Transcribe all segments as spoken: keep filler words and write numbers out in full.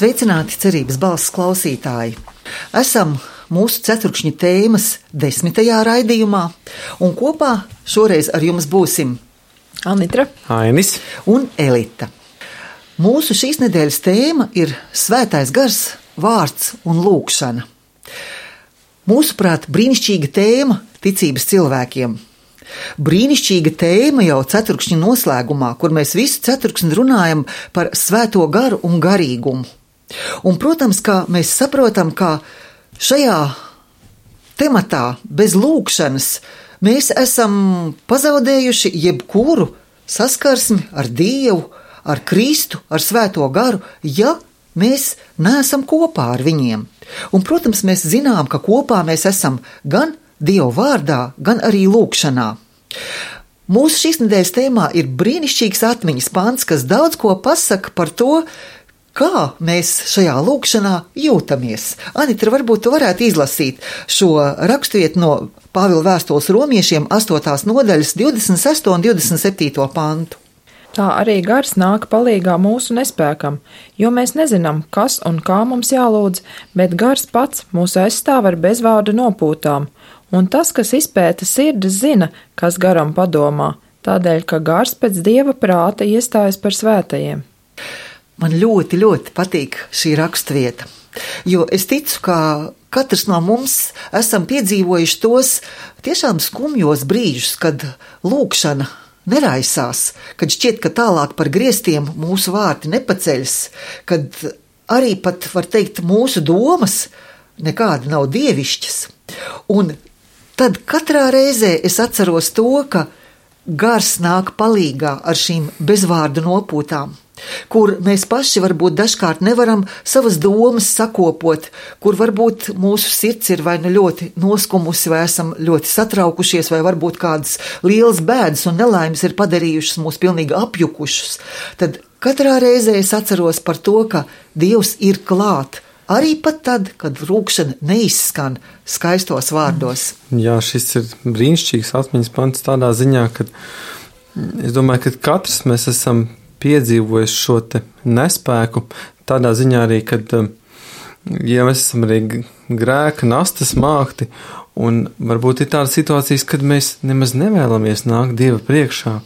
Sveicināti cerības balss klausītāji! Esam mūsu ceturkšņa tēmas desmitajā raidījumā, un kopā šoreiz ar jums būsim Anitra, Ainis un Elita. Mūsu šīs nedēļas tēma ir Svētais gars, vārds un lūkšana. Mūsuprāt, brīnišķīga tēma ticības cilvēkiem. Brīnišķīga tēma jau ceturkšņa noslēgumā, kur mēs visu ceturksni runājam par svēto garu un garīgumu. Un, protams, kā mēs saprotam, ka šajā tematā bez lūkšanas mēs esam pazaudējuši jebkuru saskarsmi ar Dievu, ar Kristu, ar svēto garu, ja mēs neesam kopā ar viņiem. Un, protams, mēs zinām, ka kopā mēs esam gan Dieva vārdā, gan arī lūkšanā. Mūsu šīs nedēļas tēmā ir brīnišķīgs atmiņas pants, kas daudz ko pasaka par to, kā mēs šajā lūkšanā jūtamies. Anitra, varbūt tu varētu izlasīt šo raksturvietu no Pāvila vēstules romiešiem astotās nodaļas divdesmit sesto un divdesmit septīto pantu. Tā arī gars nāk palīgā mūsu nespēkam, jo mēs nezinām, kas un kā mums jālūdz, bet gars pats mūs aizstāv ar bezvārdu nopūtām, un tas, kas izpēta sirdis, zina, kas garam padomā, tādēļ, ka gars pēc Dieva prāta iestājas par svētajiem. Man ļoti, ļoti patīk šī raksturvieta, jo es ticu, ka katrs no mums esam piedzīvojuši tos tiešām skumjos brīžus, kad lūkšana neraisās, kad šķiet, ka tālāk par griestiem mūsu vārti nepaceļas, kad arī pat, var teikt, mūsu domas nekādi nav dievišķas. Un tad katrā reizē es atceros to, ka gars nāk palīgā ar šīm bezvārdu nopūtām, kur mēs paši varbūt dažkārt nevaram savas domas sakopot, kur varbūt mūsu sirds ir vai nu ļoti noskumusi, vai esam ļoti satraukušies, vai varbūt kādas lielas bēdas un nelaimes ir padarījušas mūs pilnīgi apjukušus. Tad katrā reizē es atceros par to, ka Dievs ir klāt, arī pat tad, kad lūkšana neizskan skaistos vārdos. Jā, šis ir brīnišķīgs atmiņas pants tādā ziņā, ka es domāju, ka katrs mēs esam piedzīvojuši šo te nespēku, tādā ziņā arī, kad ja mēs esam arī grēka nastas mākti, un varbūt ir tādas situācijas, kad mēs nemaz nevēlamies nākt Dieva priekšā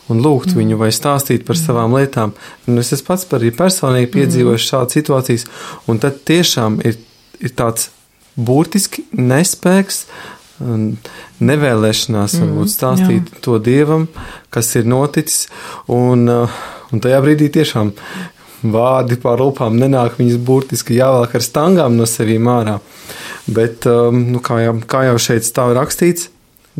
un lūgt mm. viņu vai stāstīt par savām lietām. Un es esmu pats arī personīgi piedzīvojuši šādas situācijas, un tad tiešām ir, ir tāds burtiski nespēks, nevēlēšanās varbūt stāstīt mm, to Dievam, kas ir noticis, un, un tajā brīdī tiešām vārdi pār lūpām nenāk, viņas burtiski jāvelk ar stangām no sevīm ārā. Bet, nu, kā, jau, kā jau šeit stāv rakstīts,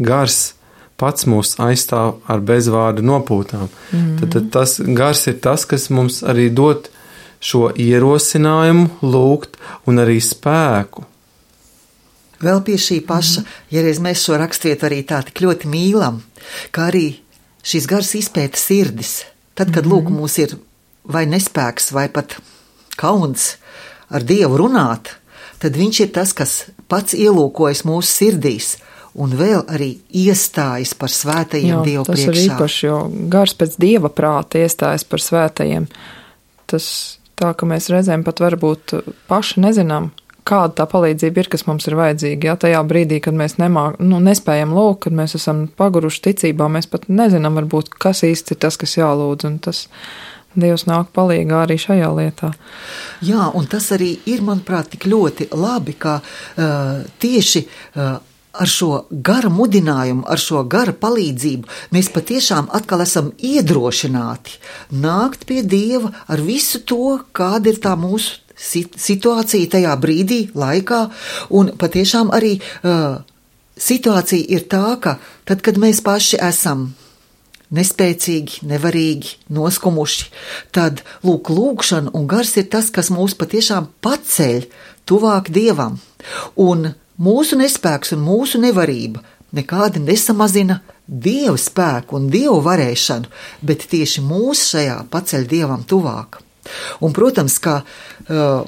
gars pats mūs aizstāv ar bezvārdu nopūtām. Mm. Tad, tad tas gars ir tas, kas mums arī dod šo ierosinājumu lūgt un arī spēku. Vēl pie šī paša, ja reiz mēs šo raksturvietu arī tā tik ļoti mīlam, kā arī šis gars izpēta sirdis. Tad, kad lūk mūs ir vai nespēks, vai pat kauns ar Dievu runāt, tad viņš ir tas, kas pats ielūkojas mūsu sirdīs un vēl arī iestājas par svētajiem Dievu priekšā. Tas ir īpaši, jo gars pēc Dieva prāta iestājas par svētajiem. Tas tā, ka mēs reizēm pat varbūt paši nezinām, kāda tā palīdzība ir, kas mums ir vajadzīga. Jā, tajā brīdī, kad mēs nemā, nu, nespējam lūgt, kad mēs esam paguruši ticībā, mēs pat nezinām varbūt, kas īsti ir tas, kas jālūdz, un tas Dievs nāk palīgā arī šajā lietā. Jā, un tas arī ir, manuprāt, tik ļoti labi, ka uh, tieši uh, ar šo gara mudinājumu, ar šo gara palīdzību mēs patiešām atkal esam iedrošināti nākt pie Dieva ar visu to, kāda ir tā mūsu situācija tajā brīdī, laikā, un patiešām arī uh, situācija ir tā, ka tad, kad mēs paši esam nespēcīgi, nevarīgi, noskumuši, tad lūk, lūkšana un gars ir tas, kas mūs patiešām paceļ tuvāk Dievam, un mūsu nespēks un mūsu nevarība nekādi nesamazina Dieva spēku un Dieva varēšanu, bet tieši mūs šajā paceļ Dievam tuvāk. Un, protams, ka uh,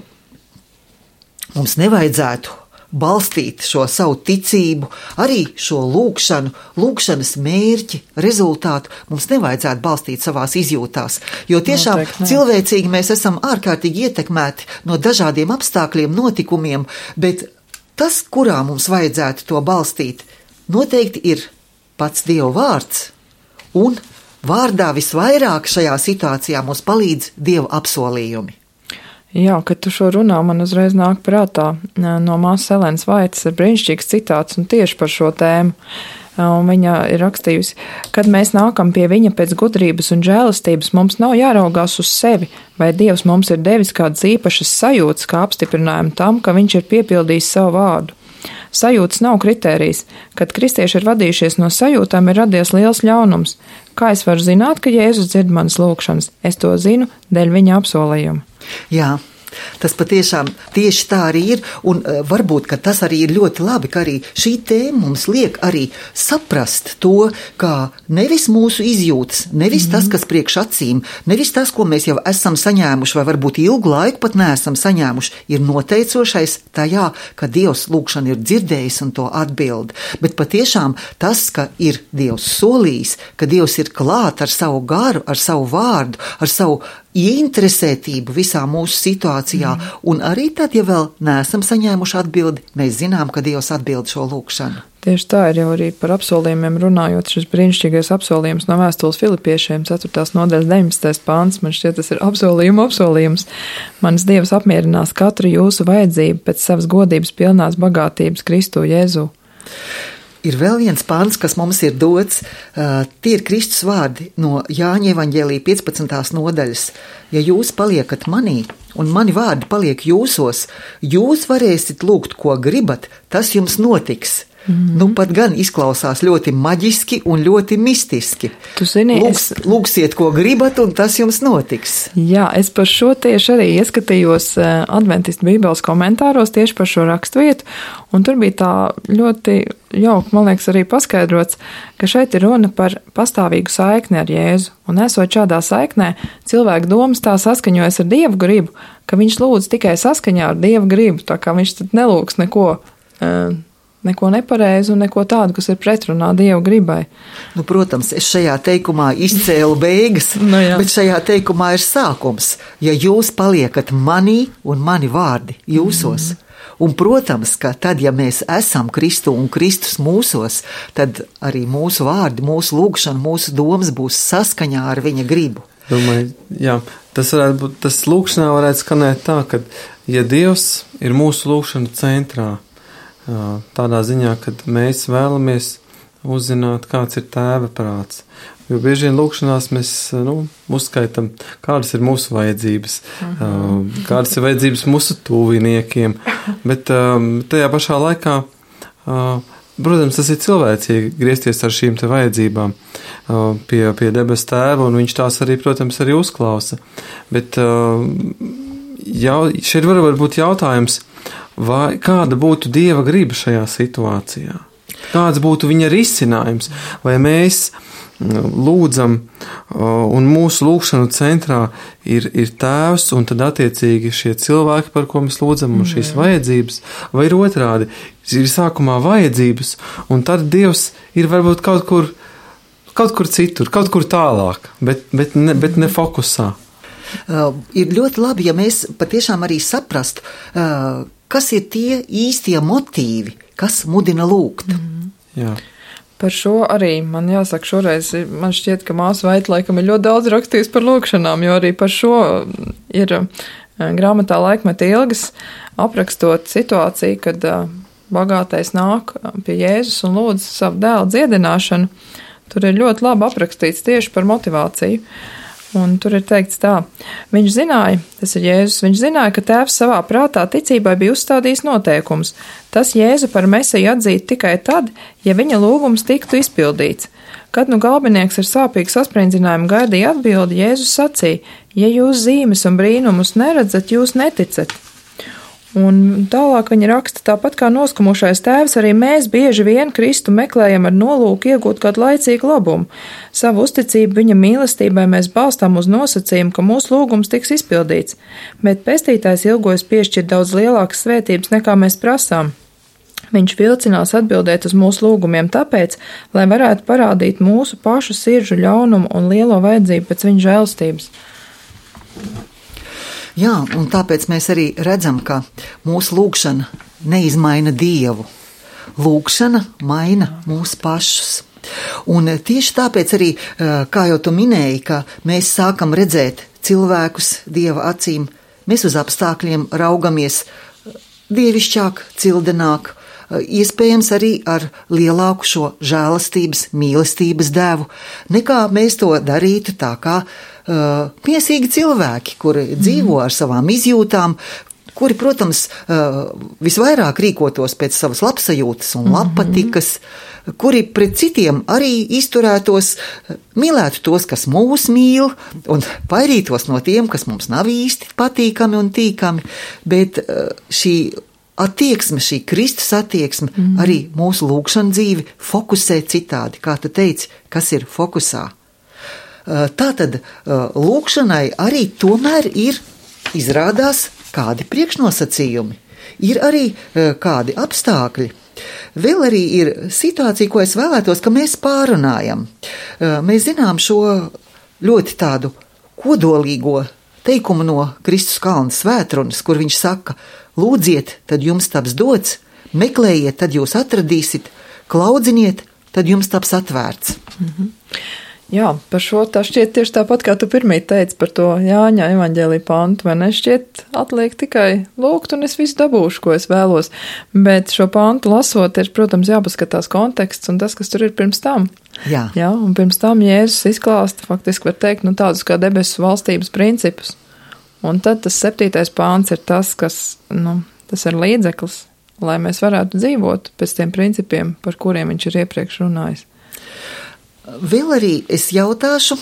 mums nevajadzētu balstīt šo savu ticību, arī šo lūkšanu, lūkšanas mērķi, rezultātu mums nevajadzētu balstīt savās izjūtās, jo tiešām Noteikti, cilvēcīgi mēs esam ārkārtīgi ietekmēti no dažādiem apstākļiem, notikumiem, bet tas, kurā mums vajadzētu to balstīt, noteikti ir pats Dieva vārds, un vārdā visvairāk šajā situācijā mums palīdz Dieva apsolījumi. Jā, kad tu šo runā, man uzreiz nāk prātā no māsas Elenas Vaitas ir brīnišķīgs citāts un tieši par šo tēmu. Un viņa ir rakstījusi, kad mēs nākam pie viņa pēc gudrības un žēlastības, mums nav jāraugās uz sevi, vai Dievs mums ir devis kādas īpašas sajūtas, kā apstiprinājumu tam, ka viņš ir piepildījis savu vārdu. Sajūtas nav kritērijs. Kad kristieši ir vadījušies no sajūtām, ir radies liels ļaunums. Kā es varu zināt, ka Jēzus dzird manas lūkšanas? Es to zinu dēļ viņa apsolījuma. Jā. Tas patiešām tieši tā arī ir, un uh, varbūt, ka tas arī ir ļoti labi, ka arī šī tēma mums liek arī saprast to, kā nevis mūsu izjūtas, nevis mm. tas, kas priekš acīm, nevis tas, ko mēs jau esam saņēmuši, vai varbūt ilgu laiku pat neesam saņēmuši, ir noteicošais tajā, ka Dievs lūkšanu ir dzirdējis un to atbild. Bet patiešām tas, ka ir Dievs solījis, ka Dievs ir klāt ar savu garu, ar savu vārdu, ar savu ieinteresētību visā mūsu situācijā, mm. un arī tad, ja vēl neesam saņēmuši atbildi, mēs zinām, ka Dievs atbild šo lūkšanu. Tieši tā ir jau arī par apsolījumiem runājot, šis brīnišķīgais apsolījums no vēstules Filipiešiem, ceturtās nodaļas deviņdesmitais pāns, man šķiet, tas ir apsolījuma apsolījums. Mans Dievs apmierinās katru jūsu vajadzību pēc savas godības pilnās bagātības Kristu Jēzu. Ir vēl viens pāns, kas mums ir dots, uh, tie ir Kristus vārdi no Jāņa evaņģēlija piecpadsmitās nodaļas. Ja jūs paliekat manī, un mani vārdi paliek jūsos, jūs varēsiet lūgt, ko gribat, tas jums notiks. Mm-hmm. Nu, pat gan izklausās ļoti maģiski un ļoti mistiski. Tu zini, Lūgs, es... Lūgsiet, ko gribat, un tas jums notiks. Jā, es par šo tieši arī ieskatījos Adventistu bībeles komentāros tieši par šo rakstvietu, un tur bija tā ļoti jauki, man liekas, arī paskaidrots, ka šeit ir runa par pastāvīgu saikni ar Jēzu, un esot šādā saiknē, cilvēku domas tā saskaņojas ar Dieva gribu, ka viņš lūdz tikai saskaņā ar Dieva gribu, tā kā viņš tad nelūgs neko uh, neko nepareizu un neko tādu, kas ir pretrunā Dieva gribai. Nu, protams, es šajā teikumā izcēlu beigas, no bet šajā teikumā ir sākums. Ja jūs paliekat manī un mani vārdi jūsos, mm. un, protams, ka tad, ja mēs esam Kristu un Kristus mūsos, tad arī mūsu vārdi, mūsu lūgšana, mūsu domas būs saskaņā ar viņa gribu. Domāju, jā, tas varētu būt, tas lūgšanā varētu skanēt tā, ka, ja Dievs ir mūsu lūgšanu centrā, tādā ziņā, kad mēs vēlamies uzzināt, kāds ir Tēva prāts. Jo bieži vien lūkšanās mēs nu, uzskaitam, kādas ir mūsu vajadzības, uh-huh. kādas ir vajadzības mūsu tuviniekiem, bet tajā pašā laikā, protams, tas ir cilvēcīgi griezties ar šīm te vajadzībām pie, pie debes Tēva, un viņš tās arī, protams, arī uzklausa. Bet jau, šeit var būt jautājums, vai kāda būtu Dieva griba šajā situācijā? Kāds būtu viņa risinājums? Vai mēs lūdzam un mūsu lūgšanu centrā ir, ir Tēvs un tad attiecīgi šie cilvēki, par ko mēs lūdzam, un šīs vajadzības, vai ir otrādi, ir sākumā vajadzības, un tad Dievs ir varbūt kaut kur, kaut kur citur, kaut kur tālāk, bet, bet, ne, bet ne fokusā. Uh, ir ļoti labi, ja mēs patiešām arī saprastu, uh, kas ir tie īstie motīvi, kas mudina lūgt. Mm. Jā. Par šo arī man jāsaka šoreiz, man šķiet, ka māsa Vaita laikam ir ļoti daudz rakstījis par lūgšanām, jo arī par šo ir grāmatā Laikmeta ilgas aprakstot situāciju, kad bagātais nāk pie Jēzus un lūdz savu dēlu dziedināšanu. Tur ir ļoti labi aprakstīts tieši par motivāciju. Un tur ir teikts tā, viņš zināja, tas ir Jēzus, viņš zināja, ka Tēvs savā prātā ticībai bija uzstādījis noteikums. Tas Jēzu par Mesiju atzīt tikai tad, ja viņa lūgums tiktu izpildīts. Kad nu galbinieks ar sāpīgu sasprinddzinājumu gaidīja atbildi, Jēzus sacīja, ja jūs zīmes un brīnumus neredzat, jūs neticat. Un tālāk viņa raksta, tāpat kā noskumušais tēvs, arī mēs bieži vien Kristu meklējam ar nolūku iegūt kādu laicīgu labumu. Savu uzticību viņa mīlestībai mēs balstām uz nosacījumu, ka mūsu lūgums tiks izpildīts, bet pestītājs ilgojas piešķirt daudz lielākas svētības, nekā mēs prasām. Viņš vilcinās atbildēt uz mūsu lūgumiem tāpēc, lai varētu parādīt mūsu pašu sirdžu ļaunumu un lielo vajadzību pēc viņa žēlstības. Jā, un tāpēc mēs arī redzam, ka mūsu lūgšana neizmaina Dievu. Lūgšana maina mūsu pašus. Un tieši tāpēc arī, kā jau tu minēji, ka mēs sākam redzēt cilvēkus Dieva acīm, mēs uz apstākļiem raugamies dievišķāk, cildenāk, iespējams arī ar lielāku šo žēlastības, mīlestības devu, nekā mēs to darītu tā kā uh, miesīgi cilvēki, kuri mm. dzīvo ar savām izjūtām, kuri, protams, uh, visvairāk rīkotos pēc savas labsajūtas un labpatikas, mm-hmm. kuri pret citiem arī izturētos, mīlētu tos, kas mūs mīl, un vairītos no tiem, kas mums nav īsti patīkami un tīkami, bet uh, šī attieksme, šī Kristus attieksme, mm. arī mūsu lūgšana dzīvi fokusē citādi, kā tu teici, kas ir fokusā. Tātad lūgšanai arī tomēr ir, izrādās, kādi priekšnosacījumi, ir arī kādi apstākļi. Vēl arī ir situācija, ko es vēlētos, ka mēs pārunājam. Mēs zinām šo ļoti tādu kodolīgo teikumu no Kristus kalna svētrunas, kur viņš saka: lūdziet, tad jums taps dots, meklējiet, tad jūs atradīsiet, klaudziniet, tad jums taps atvērts. Mm-hmm. Jā, par šo tā šķiet tieši tāpat, kā tu pirmīt teici par to Jāņa evaņģēlija pantu, vai ne? Šķiet atliek tikai lūgt, un es visu dabūšu, ko es vēlos. Bet šo pantu lasot, ir, protams, jāpaskatās konteksts un tas, kas tur ir pirms tam. Jā. Jā, un pirms tam Jēzus izklāsta, faktiski var teikt, nu tādus kā debesu valstības principus. Un tad tas septītais pāns ir tas, kas, nu, tas ir līdzeklis, lai mēs varētu dzīvot pēc tiem principiem, par kuriem viņš ir iepriekš runājis. Vēl arī es jautāšu,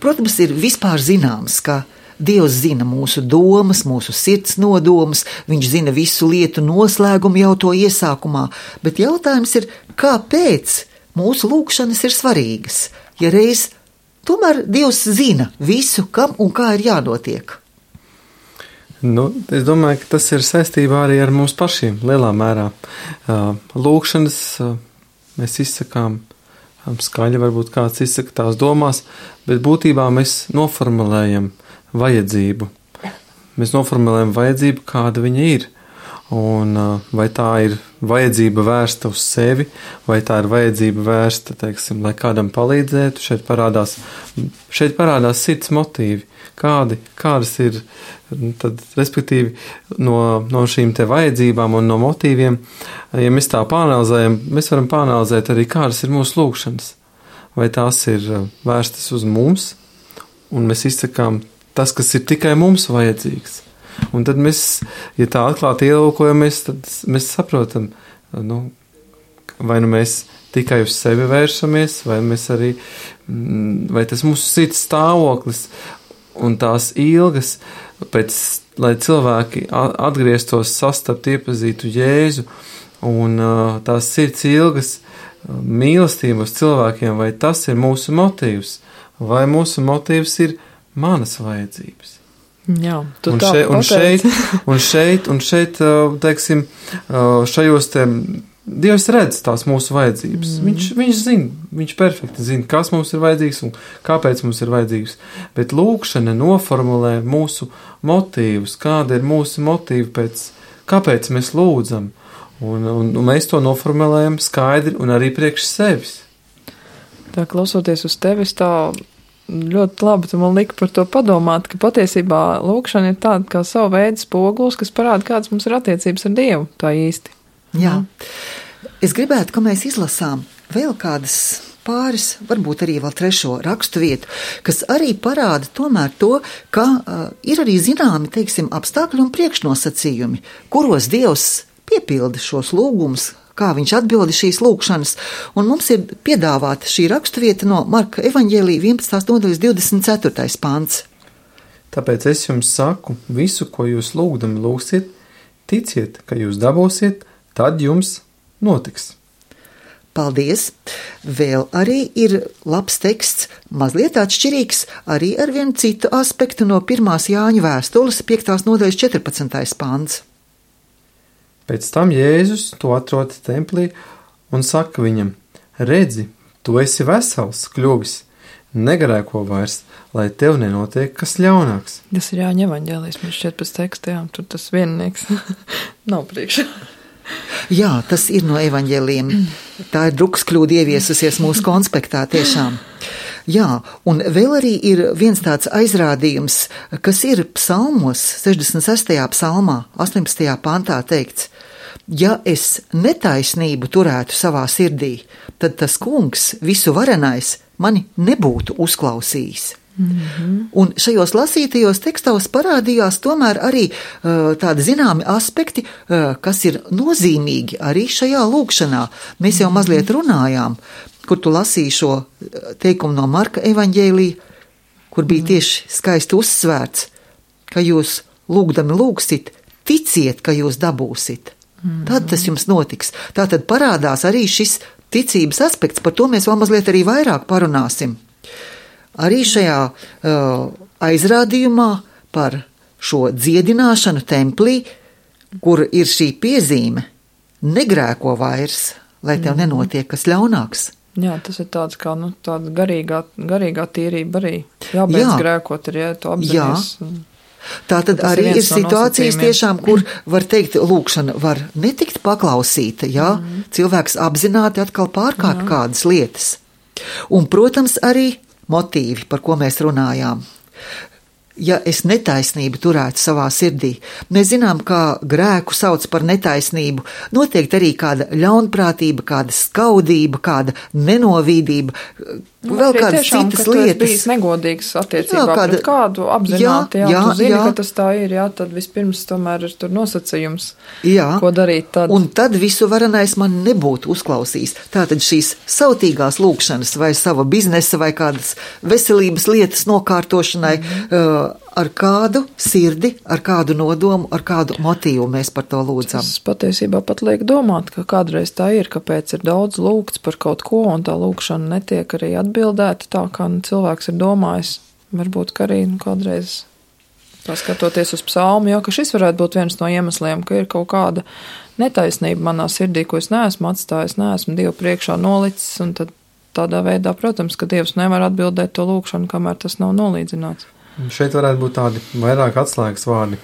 protams, ir vispār zināms, ka Dievs zina mūsu domas, mūsu sirds nodomus, viņš zina visu lietu noslēgumu jau to iesākumā, bet jautājums ir, kāpēc mūsu lūgšanas ir svarīgas, ja reiz tomēr Dievs zina visu, kam un kā ir jānotiek? Nu, es domāju, ka tas ir saistībā arī ar mums pašiem lielā mērā. Lūgšanas mēs izsakām skaļi, varbūt kāds izsaka tās domās, bet būtībā mēs noformulējam vajadzību. Mēs noformulējam vajadzību, kāda viņa ir. Un vai tā ir vajadzība vērsta uz sevi, vai tā ir vajadzība vērsta, teiksim, lai kādam palīdzētu, šeit parādās, šeit parādās sirds motīvi, kādi, kādas ir, tad, respektīvi, no, no šīm te vajadzībām un no motīviem, ja mēs tā pāanalizējam, mēs varam pāanalizēt arī, kādas ir mūsu lūgšanas, vai tās ir vērstas uz mums, un mēs izsakām tas, kas ir tikai mums vajadzīgs. Un tad mēs, ja tā atklāti ielūkojamies, tad mēs saprotam, nu, vai nu mēs tikai uz sevi vēršamies, vai mēs arī, vai tas mūsu sirds stāvoklis un tās ilgas, pēc, lai cilvēki atgrieztos, sastapt, iepazītu Jēzu, un tās sirds ilgas mīlestības cilvēkiem, vai tas ir mūsu motīvs, vai mūsu motīvs ir manas vajadzības. Jā, tu un tā šeit, un pateici. šeit, un šeit, un šeit, teiksim, šajos te, Dievs redz tās mūsu vajadzības. Mm. Viņš, viņš zina, viņš perfekti zina, kas mums ir vajadzīgs un kāpēc mums ir vajadzīgs. Bet lūgšana noformulē mūsu motīvus, kāda ir mūsu motīva pēc, kāpēc mēs lūdzam. Un, un, un mēs to noformulējam skaidri un arī priekš sevis. Tā klausoties uz tevis tā ļoti labi, tu man lika par to padomāt, ka patiesībā lūgšana ir tāda kā savu veidu spogulis, kas parāda, kādas mums ir attiecības ar Dievu, tā īsti. Jā. Es gribētu, ka mēs izlasām vēl kādas pāris, varbūt arī vēl trešo rakstu vietu, kas arī parāda tomēr to, ka uh, ir arī zināmi, teiksim, apstākļi un priekšnosacījumi, kuros Dievs piepilda šos lūgumus, kā viņš atbildi šīs lūgšanas, un mums ir piedāvāta šī raksturvieta no Marka evaņģēlija vienpadsmitās nodaļas divdesmit ceturtais pants. Tāpēc es jums saku, visu, ko jūs lūgdami lūgsiet, ticiet, ka jūs dabūsiet, tad jums notiks. Paldies! Vēl arī ir labs teksts, mazliet atšķirīgs, arī ar vienu citu aspektu no pirmās Jāņa vēstules piektās nodaļas četrpadsmitais pants. Pēc tam Jēzus to atrod templī un saka viņam: redzi, tu esi vesels kļuvis, negrēko vairs, lai tev nenotiek kas ļaunāks. Tas ir Jāņa evaņģēlijs, man šķiet pēc teksta, jā, tur tas viennieks nav priekšā. Jā, tas ir no evaņģēlijiem. Tā ir drukas kļūda ieviesusies mūsu konspektā tiešām. Jā, un vēl arī ir viens tāds aizrādījums, kas ir psalmos, sešdesmit sestajā psalmā, astoņpadsmitajā pantā teikts: ja es netaisnību turētu savā sirdī, tad tas kungs, visu varenais, mani nebūtu uzklausījis. Mm-hmm. Un šajos lasītajos tekstos parādījās tomēr arī uh, tādi zināmi aspekti, uh, kas ir nozīmīgi arī šajā lūkšanā. Mēs jau mazliet runājām, kur tu lasīji šo teikumu no Marka evaņģēlija, kur bija tieši skaisti uzsvērts, ka jūs lūgdami lūgsit, ticiet, ka jūs dabūsit. Mm-hmm. Tad tas jums notiks. Tātad parādās arī šis ticības aspekts, par to mēs vēl mazliet arī vairāk parunāsim. Arī šajā uh, aizrādījumā par šo dziedināšanu templī, kur ir šī piezīme: negrēko vairs, lai tev nenotiek kas ļaunāks. Jā, tas ir tāds kā, nu, tāda garīgā, garīgā tīrība arī. Jābeidz Jā. grēkot, ir, ja tu apzinies. Tā tad arī ir situācijas tiešām, kur var teikt, lūkšana var netikt paklausīta, ja mm. cilvēks apzināti atkal pārkāp Jā. kādas lietas. Un, protams, arī motīvi, par ko mēs runājām. Ja es netaisnību turētu savā sirdī, mēs zinām, kā grēku sauc par netaisnību, noteikti arī kāda ļaunprātība, kāda skaudība, kāda nenovīdība, nu, vēl kādas tiešām, citas ka lietas. Bijis negodīgs attiecībā jā, kāda, pret kādu apzināti, jā, jā, jā, tu zini, jā. ka tas tā ir, jā, tad vispirms tomēr ir tur nosacījums, jā. ko darīt tad. Un tad visu varenais man nebūtu uzklausījis. Tātad šīs sautīgās lūkšanas vai sava biznesa vai kādas veselības lietas nokārtošanai, mm. uh, ar kādu sirdi, ar kādu nodomu, ar kādu motīvu mēs par to lūdzam. Tas patiesībā pat liek domāt, ka kādreiz tā ir, kāpēc ir daudz lūgts par kaut ko, un tā lūkšana netiek arī atbildēta tā, kā nu, cilvēks ir domājis. Varbūt, ka arī nu, kādreiz paskatoties uz psalmu, jo, ka šis varētu būt viens no iemesliem, ka ir kaut kāda netaisnība manā sirdī, ko es neesmu atstājis, neesmu Dievu priekšā nolicis, un tad tādā veidā, protams, ka Dievs nevar atbildēt to lūkšanu, kamēr tas nav nolīdzināts. Šeit varētu būt tādi vairāk atslēgas vārdi.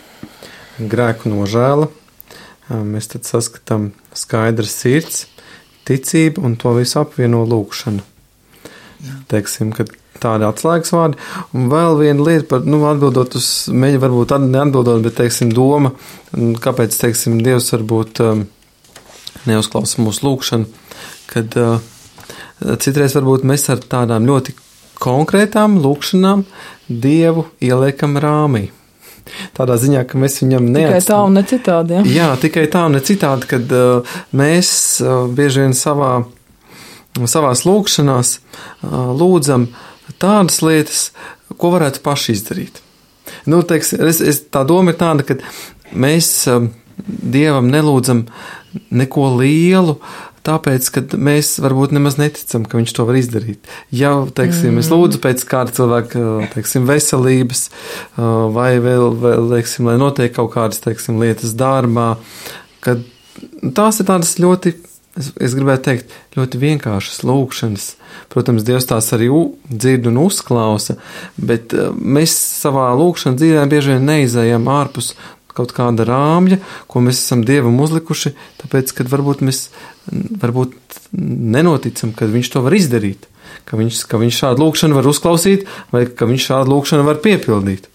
Grēku nožēla, mēs tad saskatām skaidrs sirds, ticība un to visu apvieno lūkšanu. Jā. Teiksim, ka tādi atslēgas vārdi. Un vēl viena lieta par, nu, atbildot uz, mēģi varbūt neatbildot, bet, teiksim, doma, kāpēc, teiksim, Dievs varbūt um, neuzklausa mūsu lūkšanu, kad uh, citreiz varbūt mēs ar tādām ļoti konkrētām lūkšanām Dievu ieliekam rāmī. Tādā ziņā, ka mēs viņam neatstāvam. Tikai tā un ne citādi, jā. Jā, tikai tā un ne citādi, kad uh, mēs uh, bieži vien savā, savās lūkšanās uh, lūdzam tādas lietas, ko varētu paši izdarīt. Nu, teiks, es, es, tā doma ir tāda, ka mēs uh, Dievam nelūdzam neko lielu, tāpēc, ka mēs varbūt nemaz neticam, ka viņš to var izdarīt. Ja, teiksim, mm. es lūdzu pēc kāda cilvēka, teiksim, veselības, vai vēl, vēl teiksim, lai notiek kaut kādas, teiksim, lietas darbā, kad tās ir tādas ļoti, es, es gribētu teikt, ļoti vienkāršas lūkšanas. Protams, Dievs tās arī dzird un uzklausa, bet mēs savā lūkšanas dzīvē bieži vien neizējam ārpus kaut kāda rāmja, ko mēs esam Dievam uzlikuši, tāpēc, kad varbūt mēs varbūt nenoticam, ka viņš to var izdarīt, ka viņš, ka viņš šādu lūkšanu var uzklausīt, vai ka viņš šādu lūkšanu var piepildīt.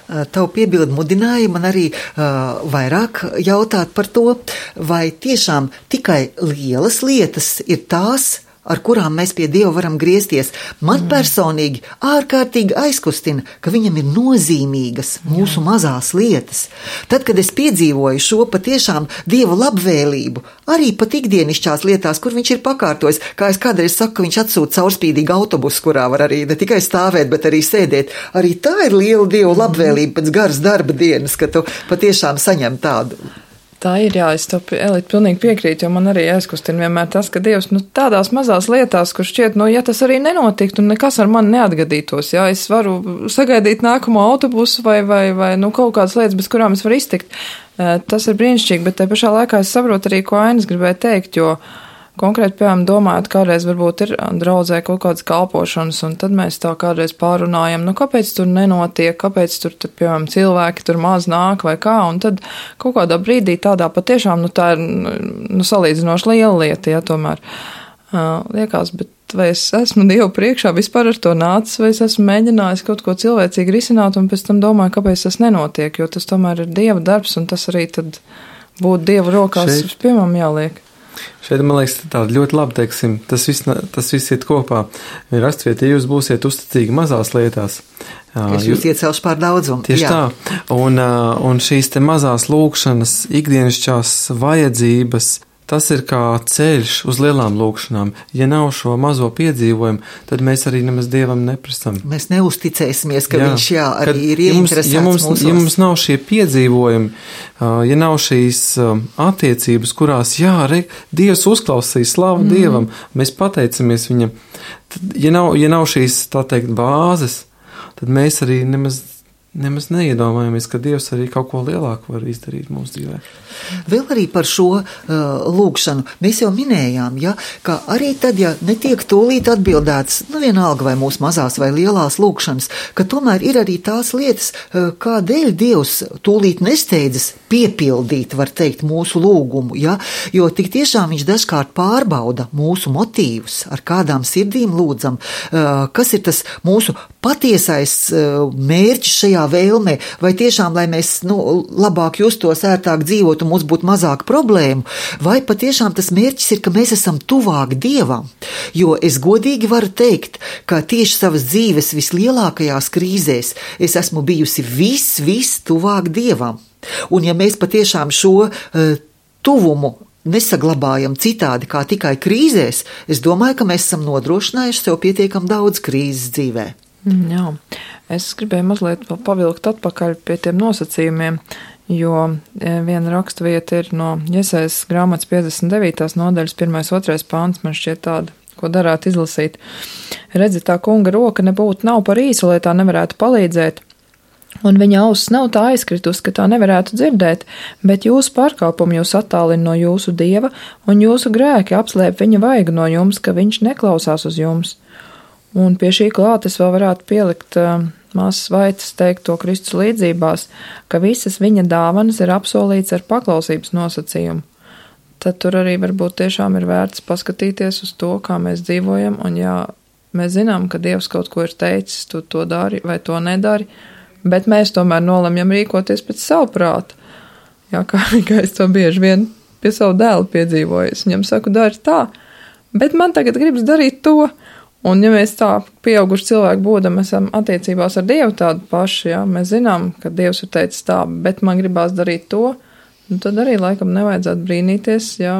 Tavu piebildi mudināja man arī uh, vairāk jautāt par to, vai tiešām tikai lielas lietas ir tās, ar kurām mēs pie Dieva varam griezties. Man mm. personīgi ārkārtīgi aizkustina, ka viņam ir nozīmīgas mūsu Jā. mazās lietas. Tad, kad es piedzīvoju šo patiešām Dieva labvēlību, arī pat ikdienišķās lietās, kur viņš ir pakārtojis, kā es kādreiz saku, ka viņš atsūta caurspīdīgu autobusu, kurā var arī ne tikai stāvēt, bet arī sēdēt. Arī tā ir liela Dieva labvēlība pēc garas darba dienas, ka tu patiešām saņem tādu Tā ir, jā, es to Elīt pilnīgi piekrītu, jo man arī aizkustina vienmēr tas, ka Dievs, nu, tādās mazās lietās, kur šķiet, nu, ja tas arī nenotiktu, un nekas ar mani neatgadītos, jā, es varu sagaidīt nākamo autobusu vai, vai, vai, nu, kaut kādas lietas, bez kurām es varu iztikt. Tas ir brīnišķīgi, bet te pašā laikā es saprotu arī, ko Ainis gribēja teikt, jo konkrēti, piemēram, domājot, kādreiz varbūt ir draudzē kaut kādas kalpošanas, un tad mēs tā kādreiz pārunājam, nu, kāpēc tur nenotiek, kāpēc tur, tur, piemēram, cilvēki tur maz nāk vai kā, un tad kaut kādā brīdī tādā patiešām, nu, tā ir, nu, salīdzinoši liela lieta, ja tomēr uh, liekas, bet vai es esmu Dievu priekšā vispār ar to nācis, vai es esmu mēģinājis kaut ko cilvēcīgi risināt, un pēc tam domāju, kāpēc tas nenotiek, jo tas tomēr ir Dieva darbs, un tas arī tad būtu Dieva rokās, Šeit. Piemēram, jāliek. Šeit, man liekas, tāda ļoti labi, teiksim, tas viss, tas viss iet kopā. Rakstviet, ja jūs būsiet uzticīgi mazās lietās. Es jūs iecelšu pār daudzumu. Tieši Jā. tā. Un, un šīs te mazās lūkšanas, ikdienišķās vajadzības, tas ir kā ceļš uz lielām lūkšanām. Ja nav šo mazo piedzīvojumu, tad mēs arī nemaz Dievam neprasam. Mēs neusticēsimies, ka jā, viņš jā, arī kad, ir ieinteresēts ja mums, mūsos. Ja mums nav šie piedzīvojumi, ja nav šīs attiecības, kurās, jā, re, Dievs uzklausīs, slavu mm. Dievam, mēs pateicamies viņam, tad, ja nav, ja nav šīs, tā teikt, bāzes, tad mēs arī nemaz Nemaz neiedomājamies, ka Dievs arī kaut ko lielāku var izdarīt mūsu dzīvē. Vēl arī par šo uh, lūkšanu mēs jau minējām, ja, ka arī tad, ja netiek tūlīt atbildēts, nu vienalga vai mūsu mazās vai lielās lūkšanas, ka tomēr ir arī tās lietas, uh, kādēļ Dievs tūlīt nesteidzas piepildīt, var teikt, mūsu lūgumu, ja, jo tik tiešām viņš dažkārt pārbauda mūsu motīvus, ar kādām sirdīm lūdzam, uh, kas ir tas mūsu patiesais uh, mērķis šajā vēlmē, vai tiešām, lai mēs nu, labāk justos, ērtāk dzīvot un mums būtu mazāk problēmu, vai patiešām tas mērķis ir, ka mēs esam tuvāk Dievam. Jo es godīgi varu teikt, ka tieši savas dzīves vislielākajās krīzēs es esmu bijusi vis, vis tuvāk Dievam. Un ja mēs patiešām šo uh, tuvumu nesaglabājam citādi kā tikai krīzēs, es domāju, ka mēs esam nodrošinājuši sev pietiekam daudz krīzes dzīvē. Jā, es gribēju mazliet vēl pavilkt atpakaļ pie tiem nosacījumiem, jo viena rakstvieta ir no Jesajas grāmatas piecdesmit devītās nodaļas pirmais otrais pāns, man šķiet tāda, ko darētu izlasīt. Redzi, tā kunga roka nebūtu nav par īsu, lai tā nevarētu palīdzēt, un viņa auss nav tā aizkritus, ka tā nevarētu dzirdēt, bet jūsu pārkāpumi jūs attālina no jūsu Dieva, un jūsu grēki apslēp viņa vaigu no jums, ka viņš neklausās uz jums. Un pie šī klāt es vēl varētu pielikt uh, Māsas Vaitas teikto Kristus līdzībās, ka visas viņa dāvanas ir apsolīts ar paklausības nosacījumu. Tad tur arī varbūt tiešām ir vērts paskatīties uz to, kā mēs dzīvojam, un jā, mēs zinām, ka Dievs kaut ko ir teicis, tu to dari vai to nedari, bet mēs tomēr nolemjam rīkoties pēc savu prātu. Jā, kā, kā es to bieži vien pie savu dēlu piedzīvoju, es viņam saku, dari tā, bet man tagad gribas darīt to. Un ja mēs tā pieauguši cilvēki būdam, esam attiecībās ar Dievu tādu pašu, jā, mēs zinām, ka Dievs ir teicis tā, bet man gribās darīt to, nu tad arī laikam nevajadzētu brīnīties, jā,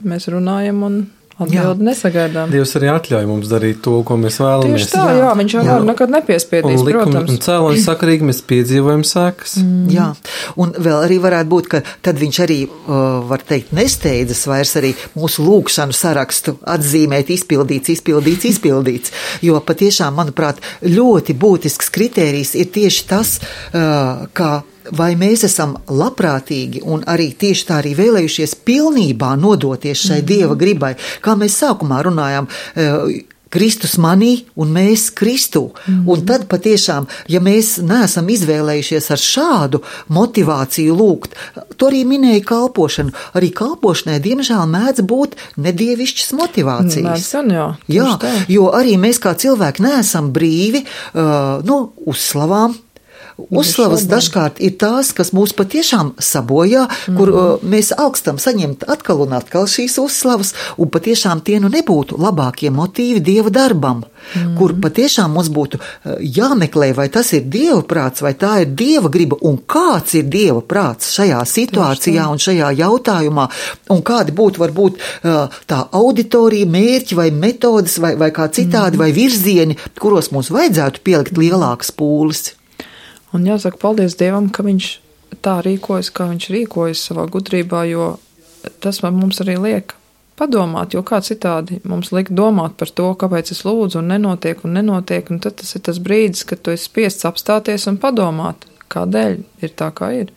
mēs runājam un atbildi nesagaidām. Dievs arī atļauj mums darīt to, ko mēs vēlamies. Tieši tā, jā, jā viņš jau var nekad nepiespiedīs, un likumi, protams. Un cēloņi sakarīgi mēs piedzīvojam sekas. Mm. Jā, un vēl arī varētu būt, ka tad viņš arī, uh, var teikt, nesteidzas vairs arī mūsu lūkšanu sarakstu atzīmēt izpildīts, izpildīts, izpildīts, jo patiešām, manuprāt, ļoti būtisks kritērijs ir tieši tas, uh, kā vai mēs esam labprātīgi un arī tieši tā arī vēlējušies pilnībā nodoties šai mm-hmm. Dieva gribai, kā mēs sākumā runājām, Kristus manī un mēs Kristū. Mm-hmm. Un tad patiešām, ja mēs neesam izvēlējušies ar šādu motivāciju lūgt, to arī minēja kalpošanu. Arī kalpošanai, diemžēl, mēdz būt nedievišķas motivācijas. Mēdz, jā, jā, jo arī mēs kā cilvēki neesam brīvi uh, nu, uzslavām. Uzslavas dažkārt ir tās, kas mūs patiešām sabojā, mm-hmm. kur uh, mēs augstam saņemt atkal un atkal šīs uzslavas, un patiešām tie nu nebūtu labākie motīvi Dieva darbam, mm-hmm. kur patiešām mums būtu uh, jāmeklē, vai tas ir Dieva prāts, vai tā ir Dieva griba, un kāds ir Dieva prāts šajā situācijā un šajā jautājumā, un kādi būtu varbūt uh, tā auditorija, mērķi vai metodas, vai, vai kā citādi, mm-hmm. vai virzieni, kuros mums vajadzētu pielikt lielākas pūles. Un jāsaka paldies Dievam, ka viņš tā rīkojas, kā viņš rīkojas savā gudrībā, jo tas mums arī liek padomāt, jo kā citādi mums liek domāt par to, kāpēc es lūdzu un nenotiek un nenotiek, un tad tas ir tas brīdis, kad tu esi spiests apstāties un padomāt, kādēļ ir tā, kā ir.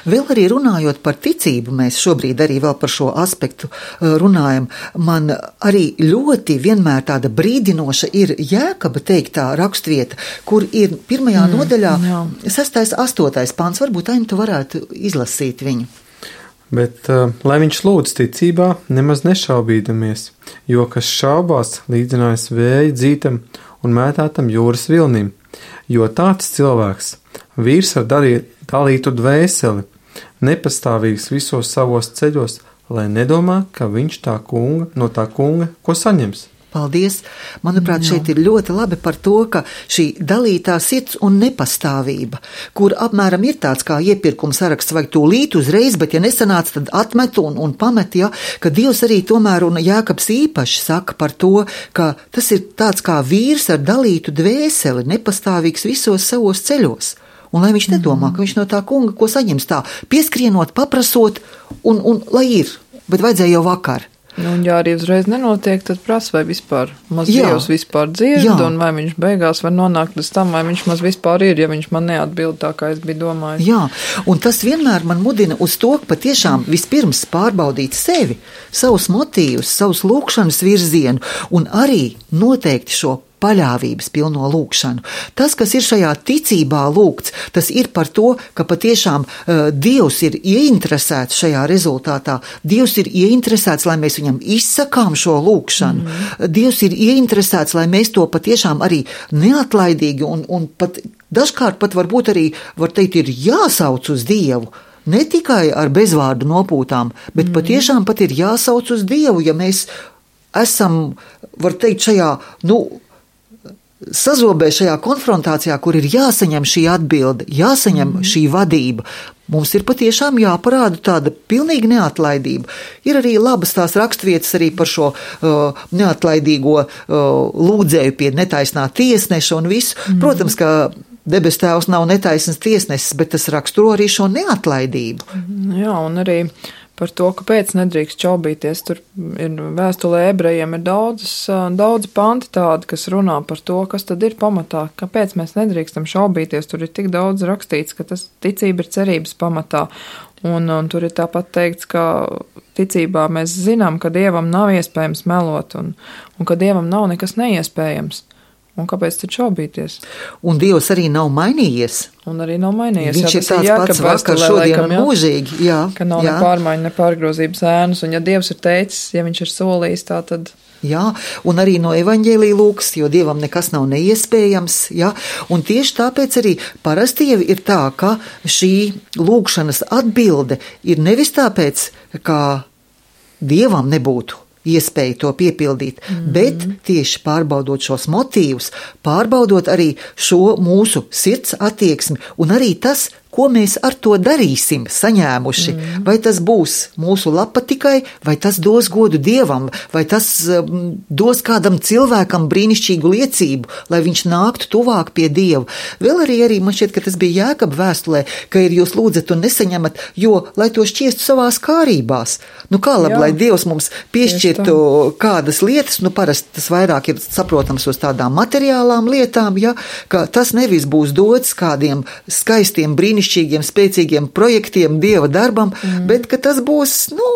Vēl arī runājot par ticību, mēs šobrīd arī vēl par šo aspektu runājam. Man arī ļoti vienmēr tāda brīdinoša ir Jēkaba teiktā rakstvieta, kur ir pirmajā mm, nodaļā jā. sestais, astotais pāns. Varbūt Aini, tu varētu izlasīt viņu. Bet, uh, lai viņš lūdz ticībā, nemaz nešaubīdamies, jo kas šaubās, līdzinājis vēja dzītam un mētātam jūras vilnim, jo tāds cilvēks, vīrs ar dalītu dvēseli, nepastāvīgs visos savos ceļos, lai nedomā, ka viņš tā kunga, no tā kunga, ko saņems. Paldies! Manuprāt, šeit ir ļoti labi par to, ka šī dalītā sirds un nepastāvība, kur apmēram ir tāds kā iepirkuma saraksts, vajag tūlīt uzreiz, bet ja nesanāc, tad atmet un, un pamet, ja, ka Dievs arī tomēr un Jēkabs īpaši saka par to, ka tas ir tāds kā vīrs ar dalītu dvēseli, nepastāvīgs visos savos ceļos. Un lai viņš nedomā, ka viņš no tā kunga, ko saņems tā, pieskrienot, paprasot, un, un lai ir, bet vajadzēja jau vakar. Nu, un ja arī uzreiz nenotiek, tad prasa, vai vispār maz Dievs vispār dzird, jā. Un vai viņš beigās var nonākt līdz tam, vai viņš maz vispār ir, ja viņš man neatbild tā, kā es biju domājis. Jā, un tas vienmēr man mudina uz to, ka patiešām vispirms pārbaudīt sevi, savus motīvus, savus lūkšanas virzienu, un arī noteikti šo paļāvības pilno lūkšanu. Tas, kas ir šajā ticībā lūgts, tas ir par to, ka patiešām uh, Dievs ir ieinteresēts šajā rezultātā. Dievs ir ieinteresēts, lai mēs viņam izsakām šo lūkšanu. Mm. Dievs ir ieinteresēts, lai mēs to patiešām arī neatlaidīgi un, un pat dažkārt pat varbūt arī, var teikt, ir jāsauc uz Dievu. Ne tikai ar bezvārdu nopūtām, bet mm. patiešām pat ir jāsauc uz Dievu, ja mēs esam, var teikt, šajā, nu, sazobē šajā konfrontācijā, kur ir jāsaņem šī atbilde, jāsaņem mm. šī vadība. Mums ir patiešām jāparāda tāda pilnīga neatlaidība. Ir arī labas tās rakstvietas arī par šo uh, neatlaidīgo uh, lūdzēju pie netaisnā tiesneša un visu. Mm. Protams, ka debes tēvs nav netaisns tiesnesis, bet tas raksturo arī šo neatlaidību. Jā, un arī par to, kāpēc nedrīkst šaubīties. Tur ir vēstulē ebrejiem ir daudzas, daudz panti tādi, kas runā par to, kas tad ir pamatā, kāpēc mēs nedrīkstam šaubīties. Tur ir tik daudz rakstīts, ka tas ticība ir cerības pamatā. Un, un tur ir tāpat teikts, ka ticībā mēs zinām, ka Dievam nav iespējams melot un, un ka Dievam nav nekas neiespējams. Un kāpēc tad šaubīties? Un Dievs arī nav mainījies. Un arī nav mainījies. Viņš jā, ir tāds jā, pats vakar, šodien un mūžīgi. Jā, ka nav jā. ne pārmaiņu, ne pārgrozības ēnas. Un ja Dievs ir teicis, ja viņš ir solījis, tā tad... Jā, un arī no evaņģēlija lūks, jo Dievam nekas nav neiespējams. Jā, un tieši tāpēc arī parasti jau ir tā, ka šī lūkšanas atbilde ir nevis tāpēc, ka Dievam nebūtu iespēju to piepildīt, mm-hmm. bet tieši pārbaudot šos motīvus, pārbaudot arī šo mūsu sirds attieksmi un arī tas, ko mēs ar to darīsim, saņēmuši. Mm. Vai tas būs mūsu lapa tikai, vai tas dos godu Dievam, vai tas um, dos kādam cilvēkam brīnišķīgu liecību, lai viņš nāktu tuvāk pie Dieva. Vēl arī, arī man šķiet, ka tas bija Jēkaba vēstulē, ka ir jūs lūdzat un nesaņemat, jo, lai to šķiestu savās kārībās. Nu kā labi, Jā. Lai Dievs mums piešķirtu kādas lietas, nu parasti tas vairāk ir saprotams uz tādām materiālām lietām, ja, ka tas nevis būs dots kādiem skaistiem brīnišķīgiem brīnišķīgiem, spēcīgiem projektiem, Dieva darbam, mm. bet ka tas būs, nu,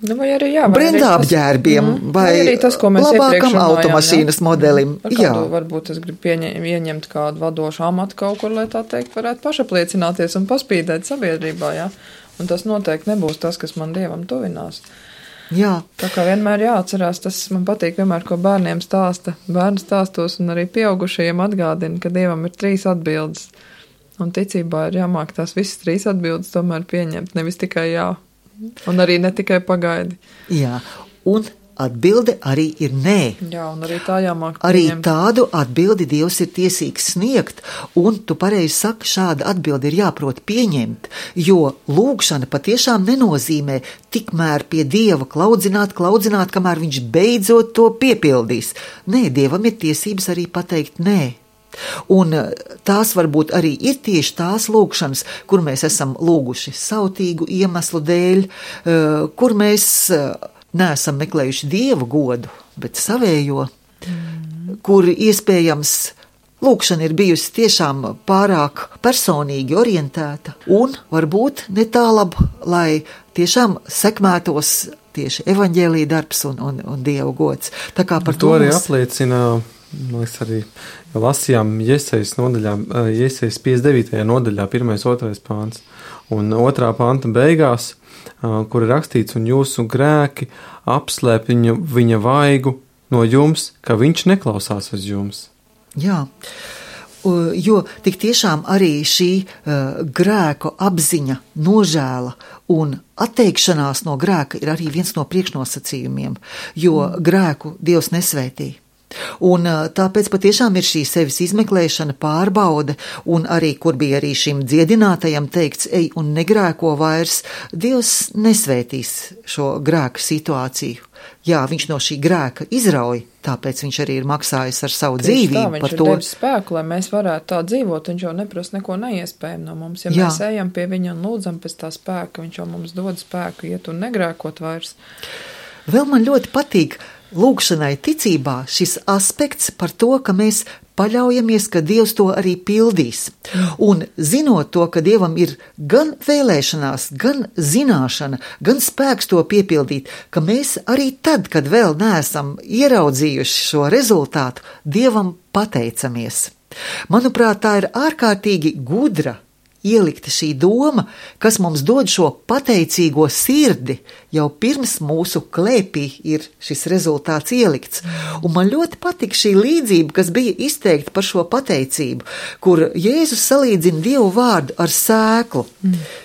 nu vai arī, jā, vai brendā apģērbiem, mm. vai, vai tas, ko mēs labākam automašīnas jā. Modelim. Ar kādu, jā. Varbūt es gribu pieņem, ieņemt kādu vadošu amatu kaut kur, lai tā teikt, varētu pašapliecināties un paspīdēt sabiedrībā, jā. Un tas noteikti nebūs tas, kas man Dievam tuvinās. Jā. Tā kā vienmēr jāatcerās, tas man patīk vienmēr, ko bērniem stāsta, bērnu stāstos un arī pieaugušajiem atgādina, ka Dievam ir trīs atbildes. Un ticībā ir jāmāk tās visas trīs atbildes tomēr pieņemt, nevis tikai jā, un arī ne tikai pagaidi. Jā, un atbilde arī ir nē. Jā, un arī tā jāmāk pieņemt. Arī tādu atbildi Dievs ir tiesīgs sniegt, un tu pareizi saki, šāda atbildi ir jāprot pieņemt, jo lūgšana patiešām nenozīmē tikmēr pie Dieva klaudzināt, klaudzināt, kamēr viņš beidzot to piepildīs. Nē, Dievam ir tiesības arī pateikt nē. Un tās varbūt arī ir tieši tās lūgšanas, kur mēs esam lūguši sautīgu iemeslu dēļ, kur mēs neesam meklējuši Dieva godu, bet savējo, mm. kur iespējams lūkšana ir bijusi tiešām pārāk personīgi orientēta un varbūt netālab, lai tiešām sekmētos tieši evaņģēlija darbs un, un, un Dieva gods. Tā kā par to, to arī mums... apliecina, mēs arī lasījām Jesejas nodaļā, Jesejas piecdesmit devītajā nodaļā, pirmais, otrais pāns, un otrā panta beigās, kur ir rakstīts, un jūsu grēki apslēp viņa, viņa vaigu no jums, ka viņš neklausās uz jums. Jā, jo tik tiešām arī šī uh, grēku apziņa, nožēla un atteikšanās no grēka ir arī viens no priekšnosacījumiem, jo mm. grēku Dievs nesvētī. Un uh, tāpēc patiešām ir šī sevis izmeklēšana, pārbaude, un arī, kur bija arī šim dziedinātajam teikts, ej un negrēko vairs, Dievs nesvētīs šo grēku situāciju. Jā, viņš no šī grēka izrauj, tāpēc viņš arī ir maksājis ar savu Tieši dzīvību tā, par to. Viņš ir devis spēku, lai mēs varētu tā dzīvot, viņš jau neprasa neko neiespējumu no mums. Ja Jā. Mēs ejam pie viņa un lūdzam pēc tā spēka, viņš jau mums dod spēku iet un negrēkot vairs. Vēl man ļoti patīk lūgšanai ticībā šis aspekts par to, ka mēs paļaujamies, ka Dievs to arī pildīs. Un zinot to, ka Dievam ir gan vēlēšanās, gan zināšana, gan spēks to piepildīt, ka mēs arī tad, kad vēl neesam ieraudzījuši šo rezultātu, Dievam pateicamies. Manuprāt, tā ir ārkārtīgi gudra ielikta šī doma, kas mums dod šo pateicīgo sirdi, jau pirms mūsu klēpī ir šis rezultāts ielikts. Un man ļoti patika šī līdzība, kas bija izteikta par šo pateicību, kur Jēzus salīdzina Dievu vārdu ar sēklu,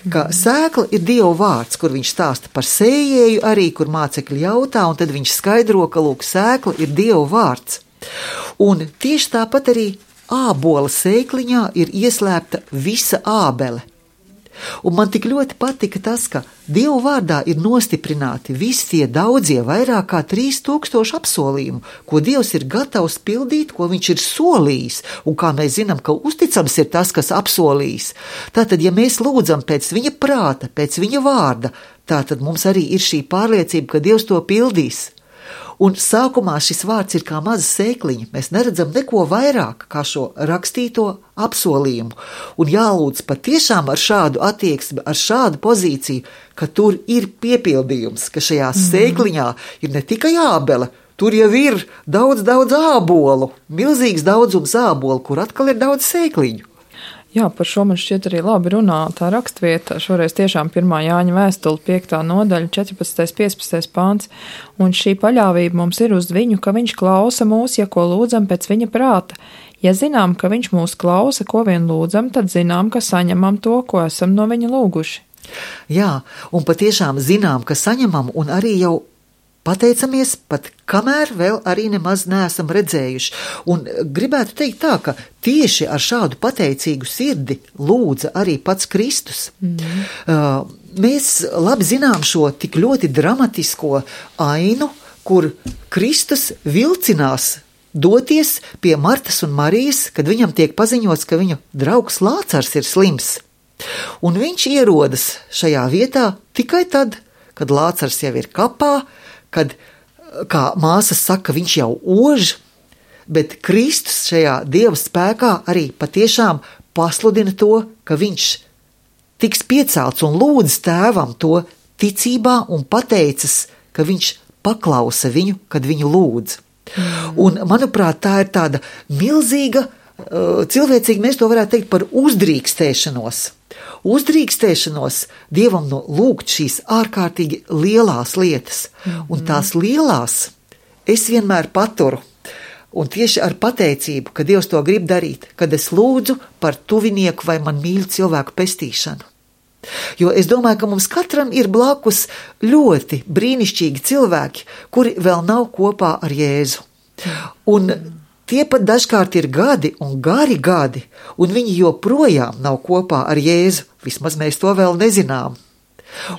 ka sēkla ir Dievu vārds, kur viņš stāsta par sējēju arī, kur mācekļi jautā, un tad viņš skaidro, ka lūk, sēkla ir Dievu vārds. Un tieši tāpat arī ābola sēkliņā ir ieslēpta visa ābele. Un man tik ļoti patika tas, ka Dievu vārdā ir nostiprināti visi tie daudzie vairāk kā trīs tūkstoši apsolījumu, ko Dievs ir gatavs pildīt, ko viņš ir solījis, un kā mēs zinām, ka uzticams ir tas, kas apsolījis. Tātad, ja mēs lūdzam pēc viņa prāta, pēc viņa vārda, tātad mums arī ir šī pārliecība, ka Dievs to pildīs. Un sākumā šis vārds ir kā maza sēkliņa, mēs neredzam neko vairāk kā šo rakstīto apsolījumu. Un jālūdz patiešām ar šādu attieksmi, ar šādu pozīciju, ka tur ir piepildījums, ka šajā mm. sēkliņā ir ne tikai ābele, tur jau ir daudz, daudz ābolu, milzīgs daudzums ābolu, kur atkal ir daudz sēkliņu. Jā, par šo man šķiet arī labi runā tā rakstvieta, šoreiz tiešām pirmā Jāņa vēstule, piektā nodaļa, četrpadsmitais, piecpadsmitais pāns, un šī paļāvība mums ir uz viņu, ka viņš klausa mūs, ja ko lūdzam pēc viņa prāta. Ja zinām, ka viņš mūs klausa, ko vien lūdzam, tad zinām, ka saņemam to, ko esam no viņa lūguši. Jā, un patiešām zinām, ka saņemam, un arī jau pateicamies, pat kamēr vēl arī nemaz neesam redzējuši. Un gribētu teikt tā, ka tieši ar šādu pateicīgu sirdi lūdza arī pats Kristus. Mm. Uh, mēs labi zinām šo tik ļoti dramatisko ainu, kur Kristus vilcinās doties pie Martas un Marijas, kad viņam tiek paziņots, ka viņu draugs Lācars ir slims. Un viņš ierodas šajā vietā tikai tad, kad Lācars jau ir kapā, kad, kā māsas saka, viņš jau ož, bet Kristus šajā Dieva spēkā arī patiešām pasludina to, ka viņš tiks piecelts un lūdz tēvam to ticībā un pateicas, ka viņš paklausa viņu, kad viņu lūdz. Mm. Un, manuprāt, tā ir tāda milzīga, cilvēcīgi mēs to varētu teikt par uzdrīkstēšanos. Uzdrīkstēšanos Dievam no lūgt šīs ārkārtīgi lielās lietas, mm-hmm. un tās lielās es vienmēr paturu, un tieši ar pateicību, ka Dievs to grib darīt, kad es lūdzu par tuvinieku vai man mīļu cilvēku pestīšanu. Jo es domāju, ka mums katram ir blakus ļoti brīnišķīgi cilvēki, kuri vēl nav kopā ar Jēzu. Un tie pat dažkārt ir gadi un gari gadi, un viņi joprojām nav kopā ar Jēzu, vismaz mēs to vēl nezinām.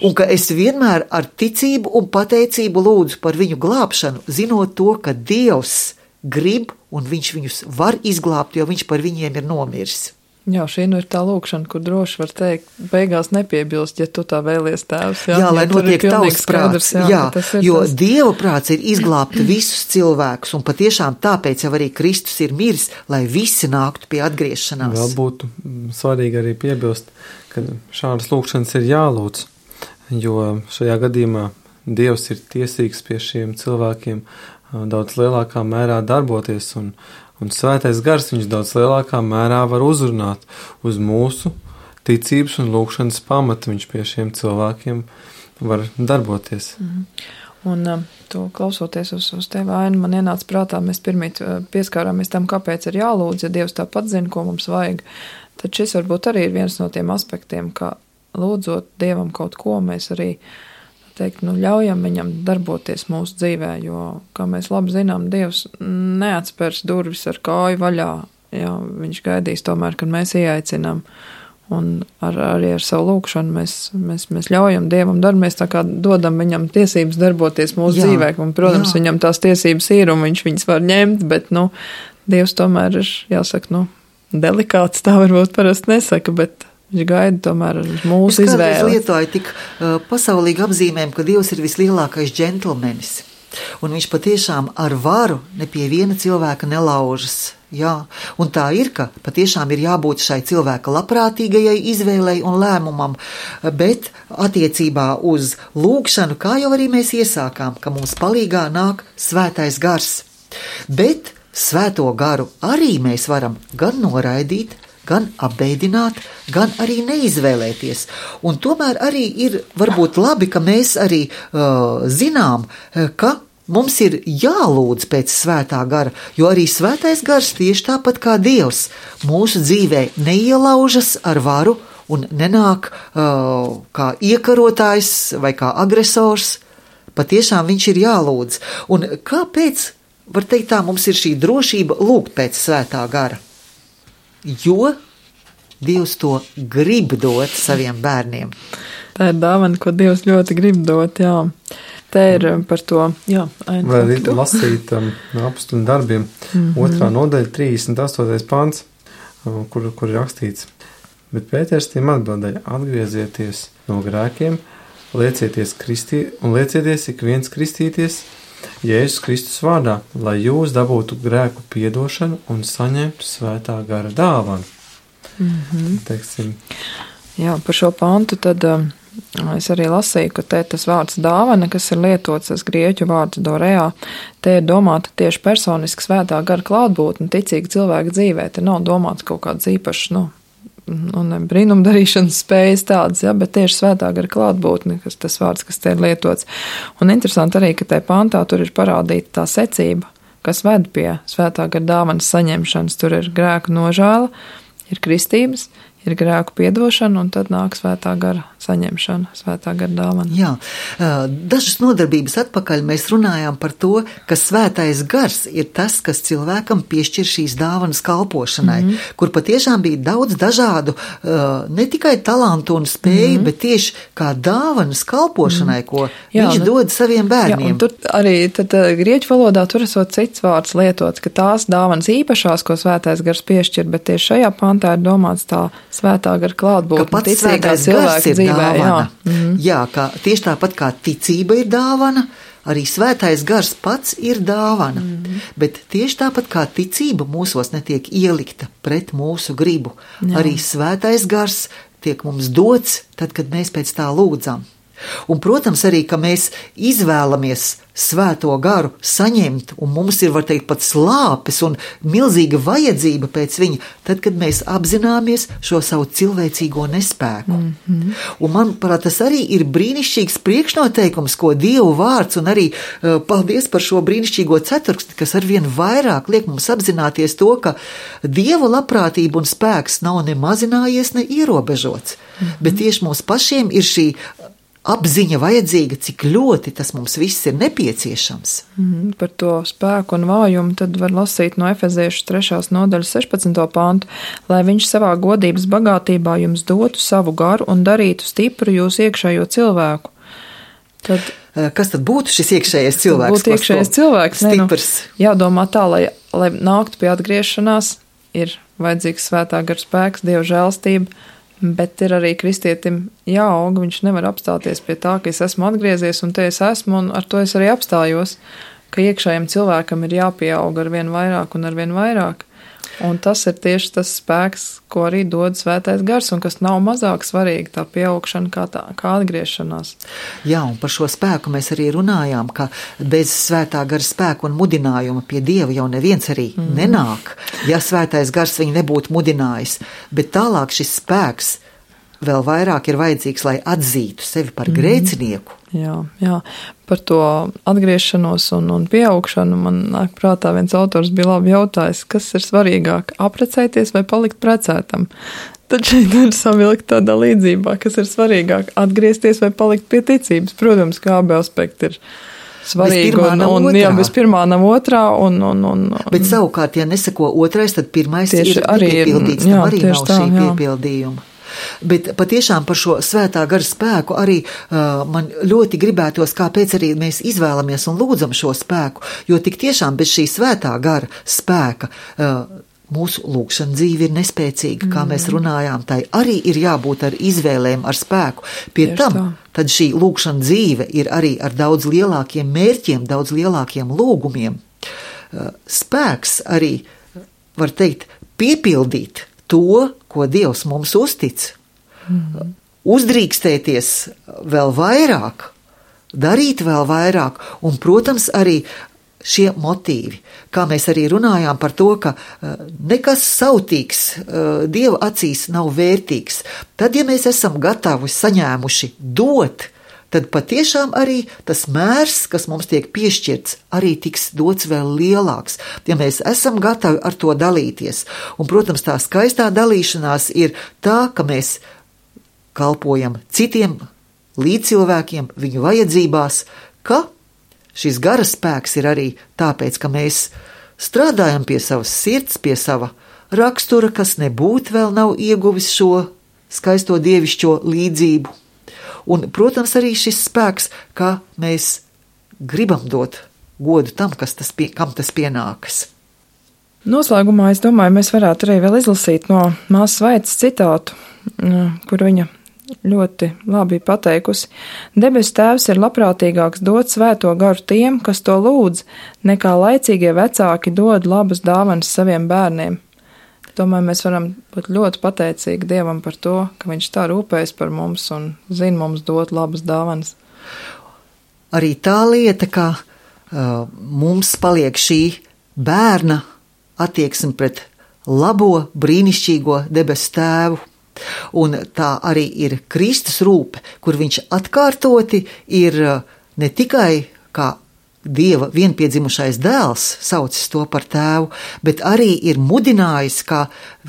Un ka es vienmēr ar ticību un pateicību lūdzu par viņu glābšanu, zinot to, ka Dievs grib un viņš viņus var izglābt, jo viņš par viņiem ir nomiris. Jā, šī nu ir tā lūkšana, kur droši var teikt, beigās nepiebilst, ja tu tā vēlies tēvs. Jā, jā lai ja notiek tavs prāts, jā, jā, jo tas... Dieva prāts ir izglābt visus cilvēkus, un patiešām tāpēc jau arī Kristus ir miris, lai visi nāktu pie atgriešanās. Vēl būtu svarīgi arī piebilst, ka šādas lūkšanas ir jālūdz, jo šajā gadījumā Dievs ir tiesīgs pie šiem cilvēkiem daudz lielākā mērā darboties, un Un svētais gars viņus daudz lielākā mērā var uzrunāt uz mūsu ticības un lūkšanas pamata. Viņš pie šiem cilvēkiem var darboties. Mm. Un um, to klausoties uz, uz tevi, Aini, man ienāca prātā, mēs pirmīt pieskārāmies tam, kāpēc ir jālūdz, ja Dievs tāpat zina, ko mums vajag. Tad šis varbūt arī ir viens no tiem aspektiem, ka lūdzot Dievam kaut ko, mēs arī teikt, nu, ļaujam viņam darboties mūsu dzīvē, jo, kā mēs labi zinām, Dievs neatspērs durvis ar kāju vaļā. Jā, viņš gaidīs tomēr, kad mēs ieaicinām. Un ar, arī ar savu lūkšanu mēs, mēs, mēs ļaujam Dievam darbu, mēs tā kā dodam viņam tiesības darboties mūsu jā, dzīvē. Un, protams, jā. Viņam tās tiesības ir un viņš viņas var ņemt, bet, nu, Dievs tomēr ir, jāsaka, nu, delikāts, tā varbūt parasti nesaka, bet viņš gaida tomēr uz mūsu izvēli. Es kādreiz lietoju tik uh, pasaulīgi apzīmēm, ka Dievs ir vislielākais džentlmenis. Un viņš patiešām ar varu ne pie viena cilvēka nelaužas. Jā, un tā ir, ka patiešām ir jābūt šai cilvēka labprātīgajai izvēlei un lēmumam, bet attiecībā uz lūkšanu, kā jau arī mēs iesākām, ka mums palīgā nāk svētais gars. Bet svēto garu arī mēs varam gan noraidīt, gan apbeidināt, gan arī neizvēlēties. Un tomēr arī ir varbūt labi, ka mēs arī uh, zinām, ka mums ir jālūdz pēc svētā gara, jo arī svētais gars tieši tāpat kā Dievs mūsu dzīvē neielaužas ar varu un nenāk uh, kā iekarotājs vai kā agresors. Patiešām viņš ir jālūdz. Un kāpēc, var teikt tā, mums ir šī drošība lūgt pēc svētā gara? Jo Dievs to grib dot saviem bērniem. Tā ir dāvana, ko Dievs ļoti grib dot, jā. Te ir par to, jā. Vai arī lasīt um, apostļu darbiem, mm-hmm. otrā nodaļa, trīsdesmit astotais pants, um, kur, kur ir rakstīts. Bet Pēters tiem atbildēja, atgriezieties no grēkiem, liecieties kristī, un liecieties ik viens kristīties Jēzus Kristus vārdā, lai jūs dabūtu grēku piedošanu un saņemtu svētā gara dāvanu. Mm-hmm. Teiksim. Jā, par šo pantu tad um, es arī lasīju, ka te tas vārds dāvana, kas ir lietots, tas grieķu vārds doreā, te ir domāta tieši personiski svētā gara klātbūtne ticīga cilvēka dzīvē. Te nav domāts kaut kāds īpašs, nu, un brīnumdarīšanas spējas tādas, ja, bet tieši svētā gara klātbūtne, kas tas vārds, kas te ir lietots. Un interesanti arī, ka te pantā tur ir parādīta tā secība, kas ved pie svētā gara dāvanas saņemšanas. Tur ir grēku nožēla, ir kristības, ir grēku piedošana, un tad nāk svētā gara saņemšana, svētā gara dāvana. Jā, dažas nodarbības atpakaļ mēs runājām par to, ka svētais gars ir tas, kas cilvēkam piešķir šīs dāvanas kalpošanai, mm-hmm. kur patiešām bija daudz dažādu, ne tikai talantu un spēju, mm-hmm. bet tieši kā dāvanas kalpošanai, ko jā, viņš nu, dod saviem bērniem. Jā, un tur arī tad grieķu valodā tur esot cits vārds lietots, ka tās dāvanas īpašās, ko svētais gars piešķir, bet tieši šajā pantā ir domāts tā svētā gara klātbūtne ticīgā cilvēka dzīvē. Jā. Mm-hmm. Jā, kā, tieši tāpat kā ticība ir dāvana, arī svētais gars pats ir dāvana. Mm-hmm. Bet tieši tāpat kā ticība mūsos netiek ielikta pret mūsu gribu, jā. Arī svētais gars tiek mums dots tad, kad mēs pēc tā lūdzam. Un, protams, arī, ka mēs izvēlamies svēto garu saņemt, un mums ir, var teikt, pat slāpes un milzīga vajadzība pēc viņa, tad, kad mēs apzināmies šo savu cilvēcīgo nespēku. Mm-hmm. Un, manuprāt, tas arī ir brīnišķīgs priekšnoteikums, ko Dievu vārds, un arī uh, paldies par šo brīnišķīgo ceturksti, kas arvien vairāk liek mums apzināties to, ka Dieva labprātība un spēks nav ne mazinājies, ne ierobežots, mm-hmm. bet tieši mums pašiem ir šī apziņa vajadzīga, cik ļoti tas mums viss ir nepieciešams. Mm, par to spēku un vājumu tad var lasīt no Efeziešu trešās nodaļas sešpadsmito pantu, lai viņš savā godības bagātībā jums dotu savu garu un darītu stipru jūsu iekšējo cilvēku. Tad, kas tad būtu šis iekšējais cilvēks? Būtu iekšējais cilvēks, ne, nu, jādomā tā, lai, lai nāktu pie atgriešanās, ir vajadzīgs svētā gara spēks, Dieva žēlstība, bet ir arī kristietim jāaug, viņš nevar apstāties pie tā, ka es esmu atgriezies un te es esmu un ar to es arī apstājos, ka iekšējiem cilvēkam ir jāpieaug ar vien vairāk un ar vien vairāk. Un tas ir tieši tas spēks, ko arī dod svētais gars, un kas nav mazāk svarīgi, tā pieaugšana kā, tā, kā atgriešanās. Jā, un par šo spēku mēs arī runājām, ka bez svētā gara spēku un mudinājuma pie Dieva jau neviens arī mm. nenāk, ja svētais gars viņu nebūtu mudinājis. Bet tālāk šis spēks vēl vairāk ir vajadzīgs, lai atzītu sevi par mm. grēcinieku. Jā, jā, par to atgriešanos un, un pieaugšanu man nāk prātā viens autors bija labi jautājis, kas ir svarīgāk, aprecēties vai palikt precētam. Tad šeit ir savilkt tādā līdzībā, kas ir svarīgāk, atgriezties vai palikt pie ticības. Protams, kā abi aspekti ir svarīgi, un, un jā, bez pirmā nav otrā. Un, un, un, un, Bet savukārt, ja nesako otrais, tad pirmais ir arī piepildīts, ir, jā, tam arī nav tā, šī jā. piepildījuma. Bet patiešām par šo svētā gara spēku arī uh, man ļoti gribētos, kāpēc arī mēs izvēlamies un lūdzam šo spēku, jo tik tiešām bez šī svētā gara spēka uh, mūsu lūgšana dzīve ir nespēcīga, mm. kā mēs runājām, tai arī ir jābūt ar izvēlēm, ar spēku. Pie Tieši tam, tā. Tad šī lūgšana dzīve ir arī ar daudz lielākiem mērķiem, daudz lielākiem lūgumiem. Uh, spēks arī, var teikt, piepildīt to, ko Dievs mums uztic, mm. uzdrīkstēties vēl vairāk, darīt vēl vairāk, un, protams, arī šie motīvi, kā mēs arī runājām par to, ka nekas sautīgs Dieva acīs nav vērtīgs. Tad, ja mēs esam gatavi saņēmuši dot, tad patiešām arī tas mērs, kas mums tiek piešķirts, arī tiks dots vēl lielāks, ja mēs esam gatavi ar to dalīties. Un, protams, tā skaistā dalīšanās ir tā, ka mēs kalpojam citiem līdzcilvēkiem, viņu vajadzībās, ka šis gara spēks ir arī tāpēc, ka mēs strādājam pie savas sirds, pie sava rakstura, kas nebūtu vēl nav ieguvis šo skaisto dievišķo līdzību. Un, protams, arī šis spēks, kā mēs gribam dot godu tam, kas tas pie, kam tas pienākas. Noslēgumā, es domāju, mēs varētu arī vēl izlasīt no māsas Vaitas citātu, kur viņa ļoti labi pateikusi. Debes tēvs ir labprātīgāks dot svēto garu tiem, kas to lūdz, nekā laicīgie vecāki dod labas dāvanas saviem bērniem. Domāju, mēs varam būt ļoti pateicīgi Dievam par to, ka viņš tā rūpējas par mums un zina mums dot labas dāvanas. Arī tā lieta, ka uh, mums paliek šī bērna attieksme pret labo, brīnišķīgo debesu tēvu. Un tā arī ir Kristus rūpe, kur viņš atkārtoti ir uh, ne tikai kā Dieva vienpiedzimušais dēls, saucis to par tēvu, bet arī ir mudinājis, kā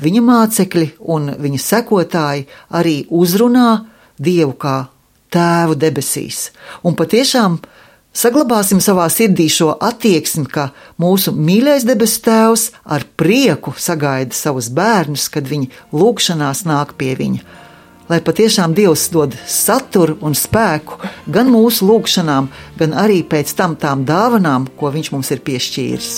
viņa mācekļi un viņa sekotāji arī uzrunā Dievu kā tēvu debesīs. Un patiešām saglabāsim savā sirdī šo attieksmi, ka mūsu mīļais debesu tēvs ar prieku sagaida savus bērnus, kad viņi lūgšanās nāk pie viņa. Lai patiešām Dievs dod saturu un spēku gan mūsu lūgšanām, gan arī pēc tam tām dāvanām, ko viņš mums ir piešķīris.